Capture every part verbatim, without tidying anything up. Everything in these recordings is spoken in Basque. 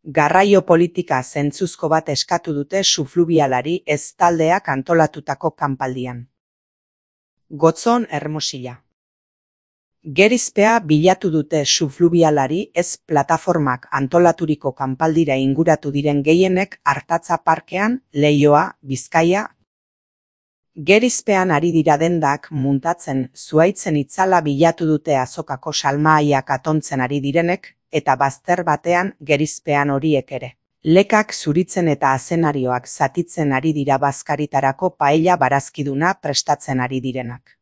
Garraio politika zentzuzko bat eskatu dute Sufluvialari ez taldeak antolatutako kanpaldian. Gotzon Hermosilla. Gerizpea bilatu dute Sufluvialari ez plataformak antolaturiko kanpaldira inguratu diren gehienek Artatza parkean, Leioa, Bizkaia. Gerizpean ari dira dendak muntatzen zuhaitzen itzala bilatu dute azokako salmahaiak atontzen ari direnek, eta bazter batean gerizpean horiek ere. Lekak zuritzen eta azenarioak zatitzen ari dira bazkaritarako paella barazkiduna prestatzen ari direnak.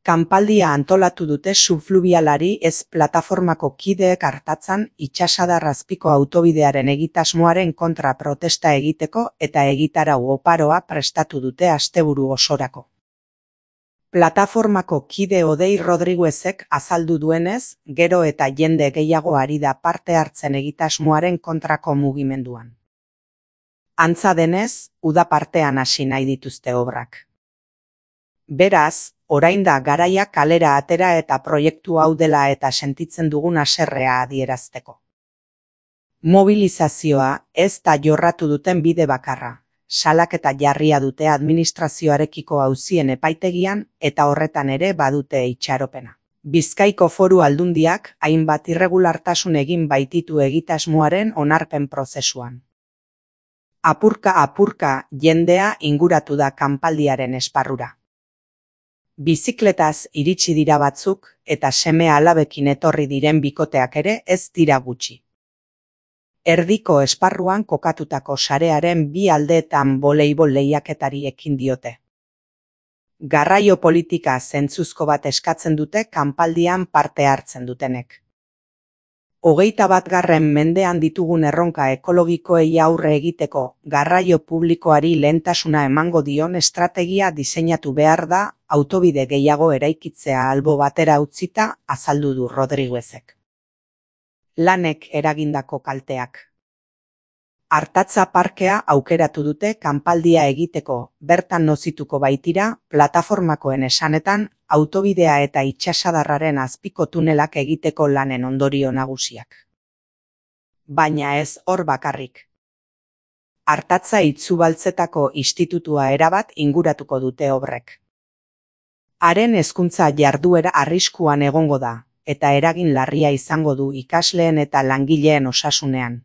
Kanpaldia antolatu dute Sufluvialari ez plataformako kideek Artatzan itsasadar azpiko autobidearen egitasmoaren kontra protesta egiteko eta egitarau oparoa prestatu dute asteburu osorako. Plataformako kide Odei Rodriguezek azaldu duenez, gero eta jende gehiago ari da parte hartzen egitasmoaren kontrako mugimenduan. Antza denez, uda partean hasi nahi dituzte obrak. Beraz, orain da garaia kalera atera eta proiektu hau dela eta sentitzen dugun haserrea adierazteko. Mobilizazioa ez da jorratu duten bide bakarra. Salaketa jarria dute administrazioarekiko auzien epaitegian eta horretan ere badute itxaropena. Bizkaiko Foru Aldundiak hainbat irregulartasun egin baititu egitasmoaren onarpen prozesuan. Apurka-apurka jendea inguratu da kanpaldiaren esparrura. Bizikletaz iritsi dira batzuk eta seme alabekin etorri diren bikoteak ere ez dira gutxi. Erdiko esparruan kokatutako sarearen bi aldeetan voleibol lehiaketari ekin diote. Garraio politika zentzuzko bat eskatzen dute kanpaldian parte hartzen dutenek. Hogeita batgarren mendean ditugun erronka ekologikoei aurre egiteko garraio publikoari lehentasuna emango dion estrategia diseinatu behar da autobide gehiago eraikitzea albo batera utzita azaldu du Rodriguezek. Lanek eragindako kalteak. Artatza parkea aukeratu dute kanpaldia egiteko, bertan nozituko baitira, plataformakoen esanetan, autobidea eta itsasadarraren azpiko tunelak egiteko lanen ondorio nagusiak. Baina ez hor bakarrik. Artatza Itzubaltzetako institutua erabat inguratuko dute obrek. Haren hezkuntza jarduera arriskuan egongo da, eta eragin larria izango du ikasleen eta langileen osasunean.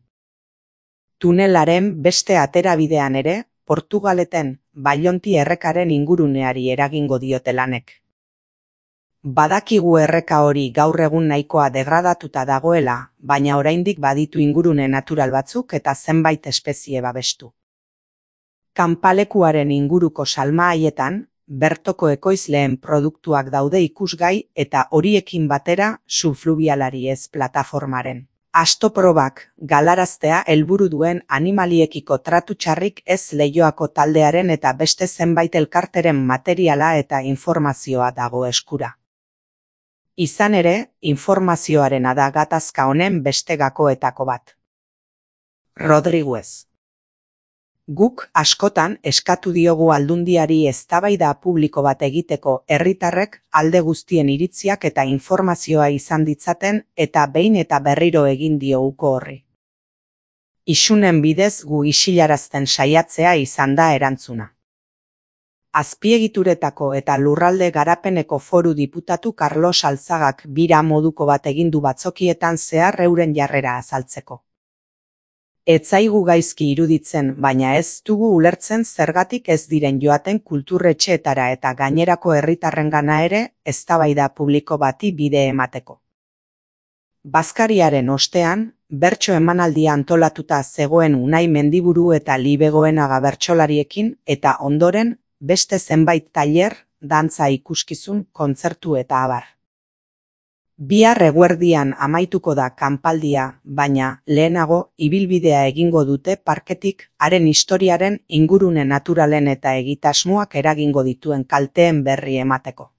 Tunelaren beste aterabidean ere, Portugaleten Bailonti errekaren inguruneari eragingo diote lanek. Badakigu erreka hori gaur egun nahikoa degradatuta dagoela, baina oraindik baditu ingurune natural batzuk eta zenbait espezie babestu. Kanpalekuaren inguruko salmahaietan, bertoko ekoizleen produktuak daude ikusgai eta horiekin batera Sufluvialari ez plataformaren. Astoprobak galaraztea helburu duen animaliekiko tratu txarrik ez Leioako taldearen eta beste zenbait elkarteren materiala eta informazioa dago eskura. Izan ere, informazioarena da gatazka honen beste gakoetako bat. Rodriguez. Guk askotan eskatu diogu Aldundiari eztabaida publiko bat egiteko herritarrek alde guztien iritziak eta informazioa izan ditzaten eta behin eta berriro egin dioguko horri. Isunen bidez gu isilarazten saiatzea izan da erantzuna. Azpiegituretako eta lurralde garapeneko foru diputatu Carlos Alzagak bira moduko bat egin du batzokietan zehar euren jarrera azaltzeko. Ez zaigu gaizki iruditzen, baina ez dugu ulertzen zergatik ez diren joaten kulturretxeetara eta gainerako herritarrengana ere eztabaida publiko bati bide emateko. Bazkariaren ostean, bertso emanaldia antolatuta zegoen Unai Mendiburu eta Libegoenaga bertsolariekin eta ondoren beste zenbait tailer, dantza ikuskizun, kontzertu eta abar. Bihar eguerdian amaituko da kanpaldia, baina lehenago ibilbidea egingo dute parketik haren historiaren ingurune naturalen eta egitasmoak eragingo dituen kalteen berri emateko.